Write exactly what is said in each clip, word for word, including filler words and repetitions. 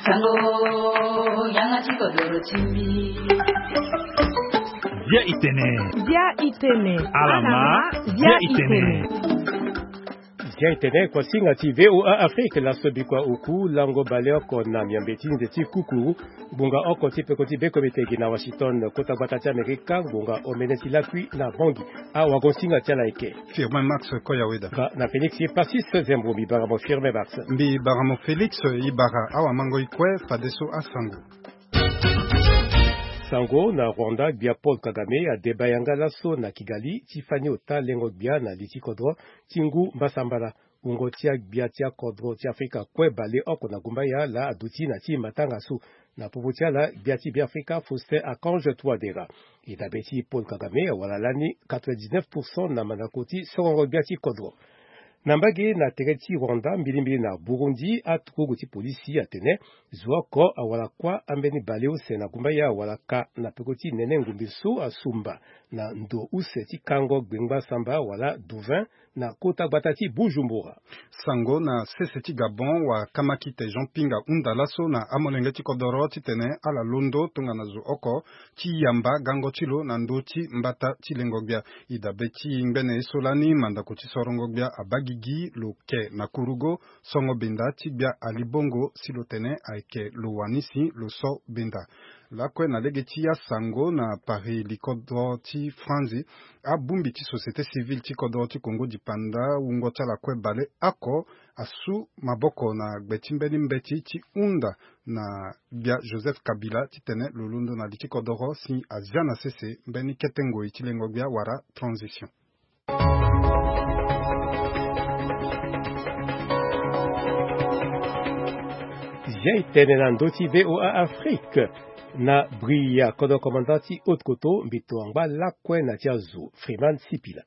Sango, yanga ti kodoro ti mbi. Bia itene. Bia itene. Alama. Bia itene. Bia itene, kuasinga ti V O A Afrique, laso bikua oku lango baleoko na miambe ti nze ti kuku. Ngbonga oko ti peko ti bekomite gi na Washington, kota gbata ti Amerika, ngbonga omene ti lakui na Bangui. Awagonsinga ti ala eke. Firmin Max Koyaweda. Nga na Félix Passis Zembo, mbi bara mo Firmin Max. Mbi bara mo Félix, i bara awamango i kue, fadeso asango. Sango na Rwanda, gbia Paul Kagame adeba yanga laso na Kigali, ti fani ota lengo gbia na li ti kodro, ti ngu mbasambala. Wungo ti agbia ti akodro ti Afrika kue baleoko na gumbaya laa aduti na ti matanga so. Na popo ti ala, gbia ti Beafrika Faustin Archange Touadéra. E dabe ti Paul Kagame awara lani quatre-vingt-dix-neuf pour cent na mandako ti sorongo gbia ti kodro. Na mbage na tere ti Rwanda, mbilimbili na Burundi, aturugu ti polisi atene zo oko awara kuâ ambeni baleuse na gumbaya awara ka na peko ti nene ngombe so asumba na ndo use ti kango gbengba samba wala Douvin, na kota gbata ti Bujumbura. Sango na sese ti Gabon, wakamakite Jean Pinga hunda laso na amolenge ti kodoro titene ala londo tongana zo oko ti yamba gango ti lo na ndö ti mbata ti lengo gbia. E dabe ti ngbene ye so lani, mandako ti sorongo gbia abaa gigi lo ke na kurugo songo benda ti gbia Ali Bongo, si lo tene ayeke lo wani si lo so benda. Lakue na lege ti asango na Paris, likodro ti Franzi, abongbi ti société civile ti kodro ti Congo dipanda, wungo ti ala kue baleoko asu maboko na gbe ti mbeni mbeti ti hunda na gbia Joseph Kabila titene lo londo na li ti kodoro si azia na sese mbeni kete ngoi ti lengo gbia wala transition. Zia e tene na ndö ti V O A Afrique. Na Bria, kodro commandant ti Haute-Koto, mbito angba lakue na ti azo, Freeman Sipila.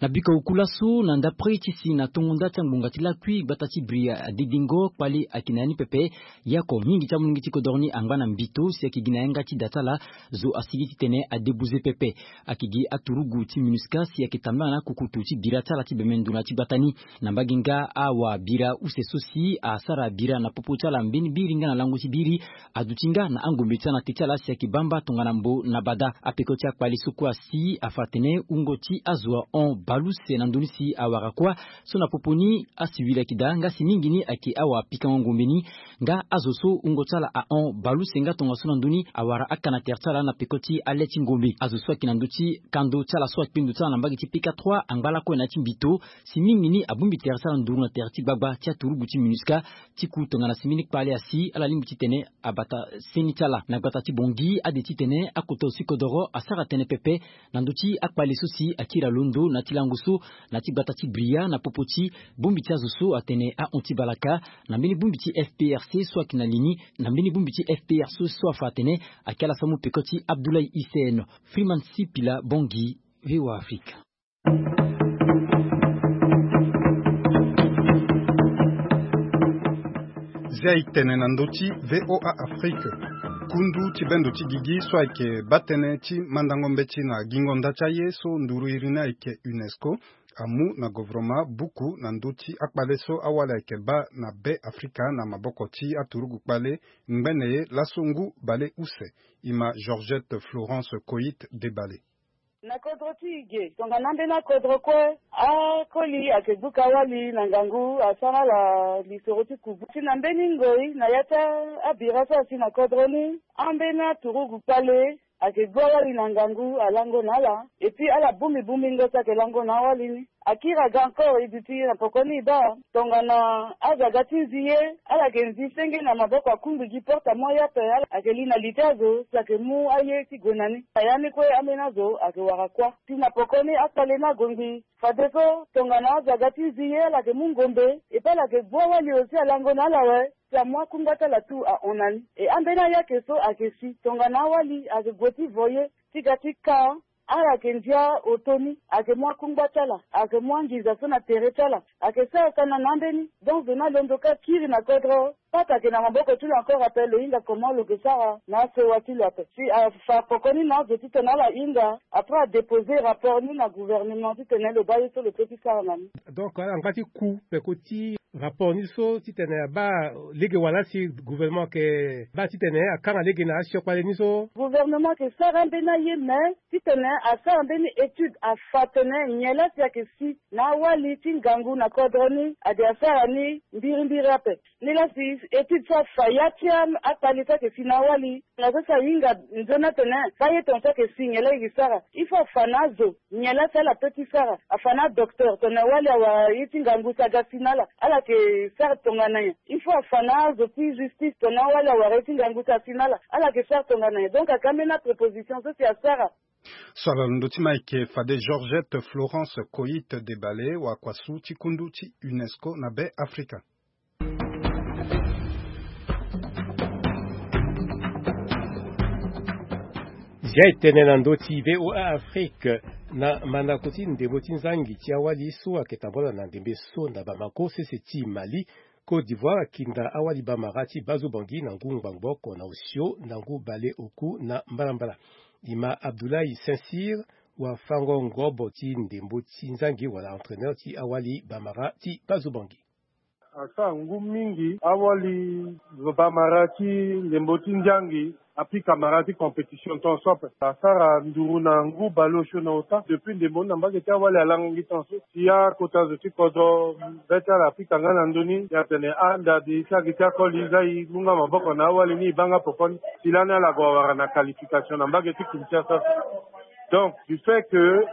Na biko oku laso, na ndapre ti si na tongo nda ti angbonga ti lakui, gbata ti Bria adedengo, kpale ayeke na ya ni pepe. Yako mingi ti amolenge ti kodoro ni angba na mbito si ayeke gi na yanga ti da ti ala. Zo asigi titene adebuze pepe. Ayeke gi aturugu ti MINUSCA si ayeke tambula na akukutu ti bira ti ala ti bembe ndo na ti gbata ni. Na mbage nga awabira use so si asara bira na popo ti ala mbeni biri nga na lango ti biri, aduti nga na angombe ti ala na te ti ala si ayeke bamba tongana mbo na bada. Apeko ti akpale so kue asi afa atene wungo ti azo ahon baleuse na ndö ni si awara kuâ. So na popo ni asiwili ayeke daa, nga si mingi ni ayeke awapikango ngombe ni. Nga azo so wungo ti ala ahon baleuse nga tongaso na ndö ni awara aka na tere ti ala na peko ti ale ti ngombe. Azo so ayeke na ndö ti kando ti ala so akpe ndo ti ala na mbage ti P K trois angba lakue na ya ti mbito. Si mingi ni abongbi tere ti ala nduru na tere ti gbagba ti aturugu ti MINUSCA. Ti ku tongana si mbeni kpale asi, ala lingbi titene abata seni ti ala. Na gbata ti Bangui, ade titene akota aussi kodoro asara tënë pepe na ndö ti akpale so si akiri alondo na ti lango so na ti gbata ti Bria na popo ti bongbi ti azo so atene ahon ti balaka na mbeni bongbi ti F P R C so ayeke na li ni, na mbeni bongbi ti F P R C so afa atene ayeke ala so amu peko ti Abdoulaye Hissène. Freeman Sipila, Bangui, V O A Afrique. Zia e tene na ndö ti V O A Afrique. Kundu ti bendo ti gigi so ayeke baa tënë ti mandango mbeti na gingo nda ti aye so nduru iri ni ayeke UNESCO amu na govoroma buku na ndö ti akpale so awali ayeke baa na Be Afrika na maboko ti aturugu kpale ngbene ye laso ngu bale use. E ma Georgette Florence Coit Debale. Na kodro ti e ge tongana ambeni akodro kue, akoli ayeke buka wali na ngangu asara ala lisoro ti kubu. Si na mbeni ngoi na ya ti abira so asi na kodro ni, ambeni aturugu kpale ayeke gbua wali na ngangu alango na ala. Et puis ala bongbi bongbingo ti ayeke lango na awali ni. Akiri aga encore e duti na poko ni e baa tongana azo aga ti nzi ye, ala yeke nzi senge na maboko akungbi gi porte amu aya ape. Ala ayeke li na li ti azo si ayeke mu aye ti gue na ni. Na ya ni kue ambeni azo ayeke wara kuâ. Si na poko ni akpale ni agongbi fadeso tongana azo aga ti nzi ye, ala yeke mu ngombe, et puis ala yeke gbua wali aussi alango na ala awe. Si amu akungba ti ala tout ahon na ni. E ambeni ayeke so ayeke si tongana awali ayeke gue ti vo ye ti ga ti ka, ala yeke ndia oto ni, ayeke mu akungba ti ala, ayeke mu anginza so na tere ti ala, ayeke sara tana na ambeni. Donc zo ni alondo ka kiri na kodro. Pata ayeke na maboko ti lo encore ape, lo hinga comment lo yeke sara na asewa ti lo ape. Si afa poko ni na azo titene ala hinga, après adéposer rapport ni na gouvernement titene lo baa ye so lo peut ti sara na ni. Donc ala ngba ti ku peko ti Rapport ni so titene abaa lege wala si gouvernement ayeke baa titene akanga lege na asiokpale ni so. Gouvernement ayeke sara ambeni aye, mais titene asara mbeni étude afa atene nyen laa si ayeke si na awali ti ngangu na kodro ni, ade asara ni mbirimbiri ape. Ni laa si étude so afa ya ti akpale so ayeke si na awali na so si ahinga nzoni atene baa ye tongaso ayeke si nyen laa e yeke sara. Il faut afa na azo nyen laa si ala peut ti sara. Afa na adocteur tongana wali awara ye ti ngangu si aga si na ala, ala yeke sara tongana nyen. Il faut afa na azo ti justice tongana wali awara ye ti ngangu si asi na ala, ala yeke sara tongana nyen. Donc ayeke ambeni apréposition so si asara. So ala londo ti ma ayeke fade Georgette Florence Coït Debale, wakuasu ti kundu ti UNESCO na Be Afrika. Zia e tene na ndö ti V O A Afrique. Na mandako ti ndembo ti nzangi ti awali so ayeke tambula na ndembe so na Bamako, sese ti Mali, Côte d'Ivoire akinda awali bamara ti Bazobangi na ngu ngbangbo oko na osio na ngu bale oku na mbalambala. E ma Abdoulaye Saint-Cyr, wafango-ngobo ti ndembo ti nzangi wala entraîneur ti awali bamara ti Bazobangi. Asara ngu mingi awali bamara ti ndembo ti nzangi apika mara ti compétition tongaso ape. Asara nduru na ngu bale osio na ota. Depuis ndembo ni na mbage ti awali alangangi tongaso. Si akota zo ti kodro be ti ala apika nga na ndö ni, e atene anda di ti agi ti akoli, za e mu nga maboko na awali ni, e baa nga poko ni. Si lani ala gue awara na qualification na mbage ti Kinshasa. Donc du fait que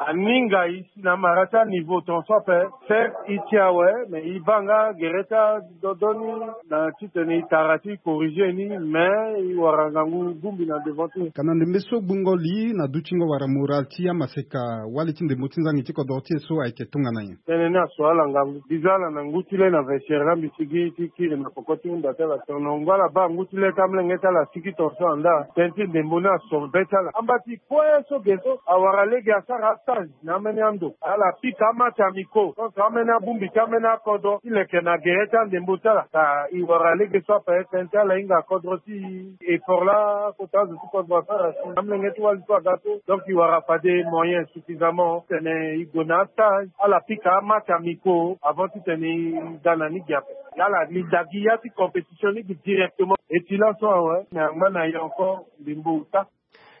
aninga e si na amara ti aniveau tongaso ape, certes e ti awe, mais e baa nga gere ti adodo ni na titene e tara ti e corriger ni, mais e wara ngangu bongbi na devant ti e. Ka na ndembe so gbungo li na dutingo wala moral ti amaseka wali ti ndembo ti nzangi ti kodro ti e so ayeke tongana nyen? Tënë ni aso ala ngangu. Biza ala na ngu ti le na vestiaire la mbisigi ti kiri na poko ti hunda ti ala. Tongana ngu ala baa ngu ti le ti amolenge ti ala asigi tongaso anda, tënë ti ndembo ni aso be ti ala. Amba ti kue so ge so awara lege asara astage na ambeni ando. Ala pika amatch amicaux contre ambeni abongbi ti ambeni akodro ti leke na gere ti andembo ti ala. Ka e wara lege so ape, tënë ti ala hinga kodro ti e. Effort la kota azo ti kodro asara si na amolenge ti wali so aga so. Donc e wara fade moyen suffisamment titene e gue na astage, ala pika amatch amicaux avant titene e ga na ni gi ape. Ala li dagi ya ti compétition ni gi directement. E ti laso awe, me angba na ye encore ndembo ota.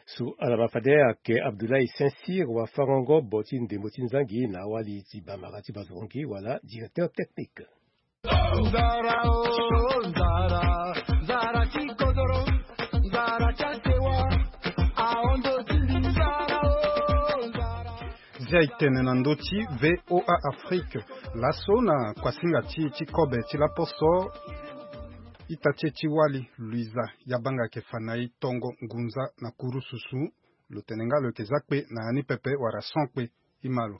So ala ma fade ayeke Abdoulaye Saint-Cyr, wafango-ngobo ti ndembo ti nzangi na awali ti bamara ti Bazobangi wala directeur technique. Nzara o, nzara, nzara ti kodoro, nzara ti asewa, ahon ndo ti mbi, nzara o, nzara. Zia e tene na ndö ti V O A Afrique. Laso na kuasinga ti e ti kobe ti laposo, ita ti e ti wali Luiza Yabanga ayeke fa na e tongo ngunza na kuru susu. Lo tene nga lo yeke za kpe na ya ni pepe wala son kpe. E ma lo.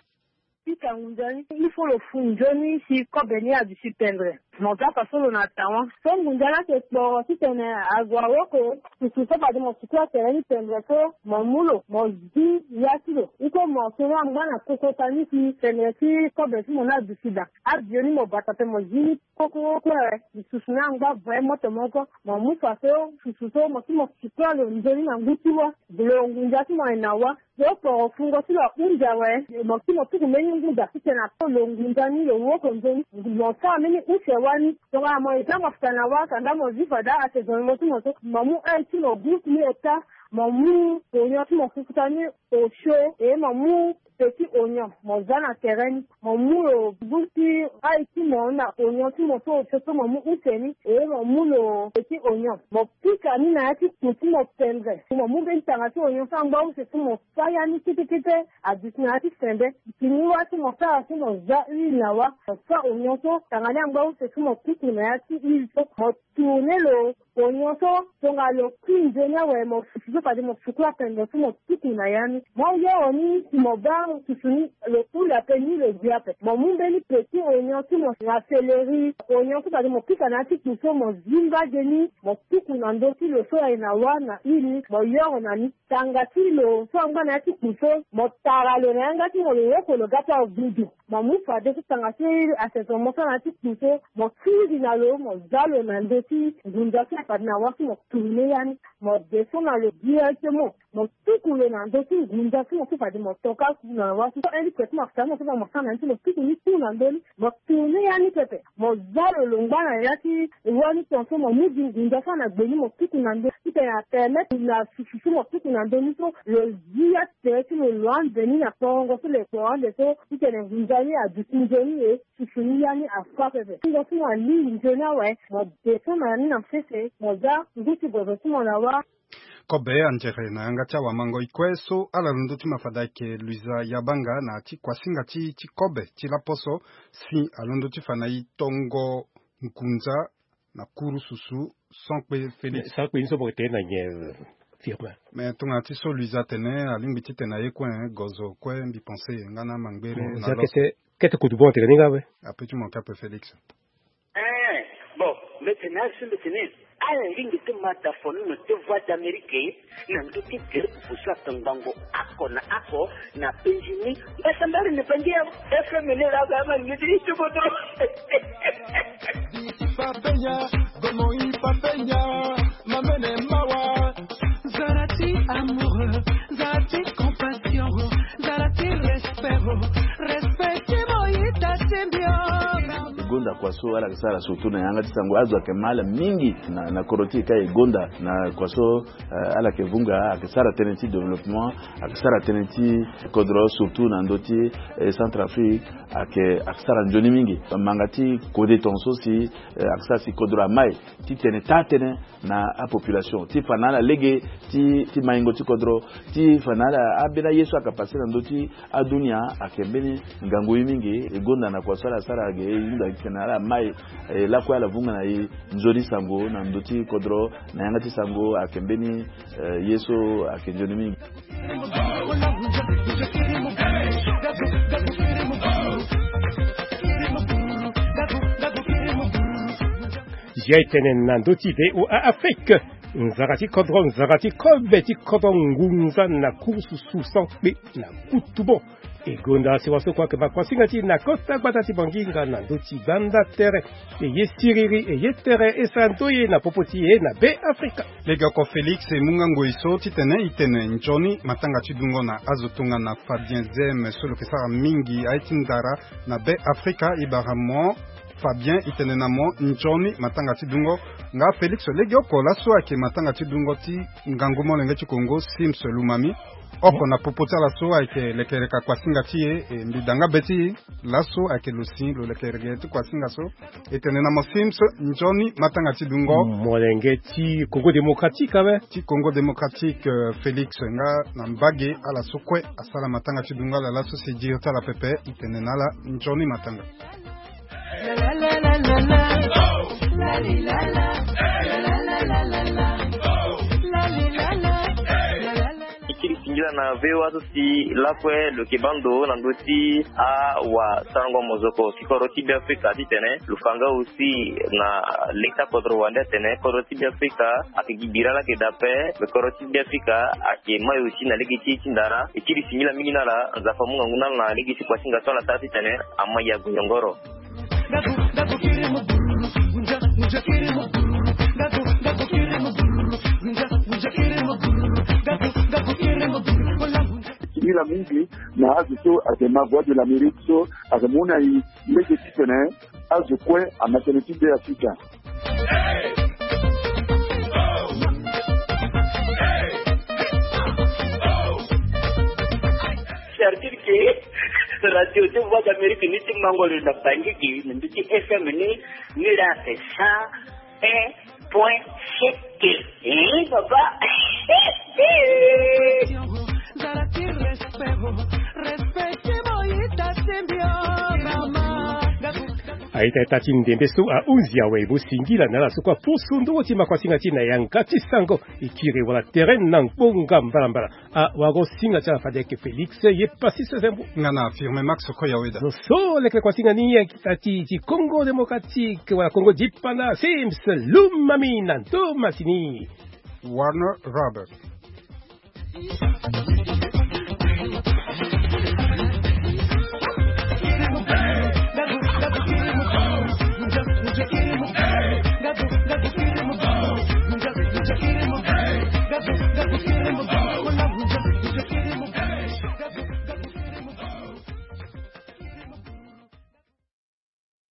Ti ka ngunza ni, il faut lo fu nzoni si kobe ni aduti pendre. Mo za fa so lo na tawa. So ngunza ni ayeke kporo titene ague awoko susu so fade mo suku atere ni pendre so, mo mu lo, mo zi ya ti lo. Iko mo soni angba na kokota ni si pendre ti kobe ti mo ni aduti daa. Abio ni mo bata pe mo zi ni koko kue. Susu ni angba vrai moto moko. Mo mu fa so susu so mo si mo suku alo nzoni na ngu ti wa. Lo ngunza ti mo aye na wa. Lo poro fungo ti lo ahunzi awe, mo si mo tuku mbeni ngu daa titene ato lo ngunza ni lo woko nzoni. Mo sara mbeni use wani. Tongana mo eza mo fika na wa, kanda mo zi fade asezo mo ti mo so, mo mu aye ti mo gu ni ota, mo mu oignon ti mo fufuta ni osio, e mo mu petit oignon, mo za na tere ni. Mo mu lo gu ti aye ti mo na oignon ti mo so osio so mo mu use ni, e mo mu lo petit oignon. Mo pika ni na ya ti ku ti mo pendre. Mo mu mbeni tanga ti oignon so angba use so mo fa ya ni kete kete, aduti na ya ti sende. Tini wa so mo sara so mo za huile na wa. Mo fa oignon so, tanga ni angba use so mo tuku na ya ti huile so. Mo tourner lo oignon so, tongana lo kui nzoni awe, mo susu so fade mo suku apendre so mo tuku na ya ni. Mo yoro ni si mo baa susu ni lo hula pe ni lo gbia ape. Mo mu mbeni petit oignon ti mo na céleri, oignon so fade mo pika na ya ti ku so mo zi mbage ni, mo tuku na ndö ti lo so aye na wa na huile ni, mo yoro na ni. Tanga ti lo so angba na ya ti ku so, mo tara lo na yanga ti mo, lo woko lo ga ti agudu. Mo mu fade so tanga ti aseso mo so na ya ti ku so, mo tingbi na lo, mo za lo na ndö ti ngunza so fade na wa so mo tourner ya ni. Mo descend na lo directement, mo tuku lo na ndö ti ngunza so mo so fade mo toka ku. Na wa so eli kue ti mo sara mo so mo sara na ni so mo tuku ni tu na ndö ni. Mo tourner ya ni pepe. Mo za lo longba na ya ti wa ni tongaso mo mu gi ngunza so na gbe ni mo tuku na ndö ni. Titene apermettre na susu so mo tuku na ndö ni so lo zi ya ti tere ti lo lo ande ni na tongo so lo ekpo ande so. Titene ngunza ni aduti nzoni e. Susu ni ya ni afa pepe. Tongo so mo alingbi nzoni awe mo descend na ya ni na sese mo za ngu ti gozo ti mo na wa. Kobe anzere na yanga ti awamangoi kue so ala londo ti ma fade ayeke Luisa Yabanga na ti kuasinga ti ti kobe ti laposo si alondo ti fa na e tongo ngunza na kuru susu. Sankpe Félix. Sankpe ni so mo yeke tene na nyen? Firme. Mais tongana ti so Luisa atene alingbi titene aye kue, gozo kue mbi pense nga na mangbere na lo. Kete kete kutu bon tene ni nga we. Ape ti mo kape Félix. Eh, bon, mbi tene azo mbi tene ala lingbi ti ma da fonono ti Voix d'Amérique na ndö ti tere pupu so atongbango oko na oko na penzi ni. Mbasambari ni pangi ya F M ni la ga ma ngi ti tuboto. Papenya, gomo i papenya, mamene mawa. Zala ti amoureux, zala ti compassion, zala ti respect, respect ti mo ita ti mbio. Gonda kua so ala yeke sara surtout na yanga ti sango azo ayeke ma ala mingi na, na kodro ti e ka e gonda na kua so, eh, ala yeke vunga ayeke sara tënë ti développement, ayeke sara tënë ti kodro surtout na ndö ti, eh, Centrafrique ayeke, ayeke sara nzoni mingi. Manga ti kode tongaso si, eh, ayeke sara si kodro amai titene taa tënë na apopulation ti fa na ala lege ti, ti maingo ti kodro, ti fa na ala ambeni aye so ayeke passé na ndö ti adunia ayeke mbeni ngangu ye mingi. E gonda na kua so ala sara ge e hunda titene ala mai, eh, lakue ala vunga na e nzoni sango na ndö ti kodro na yanga ti sango ayeke mbeni, eh, ye so ayeke nzoni mingi. Zia e tene na ndö ti V O A Afrique. Nzara ti kodro, nzara ti kobe ti kodro ngunza na kurusu susan kpe na kutu bon. E gonda sewa so kue ayeke ma kuasinga ti e na kota gbata ti Bangi nga na ndö ti gbanda tere. E ye siriri, e ye tere, e sara ndoye na popo ti e na Be Afrika. Legeoko Félix e mu nga ngoi so titene e tene nzoni matanga ti dungo na azo tongana Fabien Zem so lo yeke sara mingi aye ti ndara na Be Afrika. E bara mo Fabien, e tene na mo nzoni matanga ti dungo. Nga Félix, legeoko laso ayeke matanga ti dungo ti ngangu molenge ti Kongo, Sims Lumami. Oko na popo ti ala so ayeke lekereka kuasinga ti e, e mbi da nga be ti e. Laso ayeke lo si lo lekereke ti kuasinga so. E tene na mo Sims nzoni matanga ti dungo. Molenge ti Congo Démocratique awe. Ti Congo Démocratique, euh, Félix nga na mbage ala so kue asara matanga ti dungo ala laso si e diri ti ala pepe, e tene na ala nzoni matanga. E kiri singila na V O A so si lakue lo yeke baa ndo na ndö ti awasarango mozoko ti kodro ti Be Afrika titene lo fa nga aussi na leta kodro wande atene kodro ti Be Afrika ayeke gi bira laa ayeke daa ape. Me kodro ti Be Afrika ayeke mai aussi na lege ti e ti ndara. E kiri singila mingi na ala. Nzapa amu ngangu na ala na lege ti kuasinga so ala sara titene amai ague nyongoro. Singila mingi na azo so ayeke ma Voix de l'Amérique so ayeke mu na e lege titene azo kue ama tënë ti Be Afrika. C'est-à-dire que radio ti Voix d'Amérique ni ti mango lo na Bangi gi na ndö ti F M ni, ni la c'est cent un point sept. Eh, papa. Aita ita ti ndembe so ahunzi awe mo singila na ala so kue aposo ndongo ti makuasinga ti e na yanga ti sango. E kiri wala tere na ngbonga mbalambala. Awagosinga ti ala fade ayeke Félix ye Passis Zembo. Nga na Firme Max Koyaweda. Zo so leke kuasinga ni ayeke ita ti ti Congo Démocratique wala Congo Dipana, Sims Lumami na ndo masini. Warner Robert.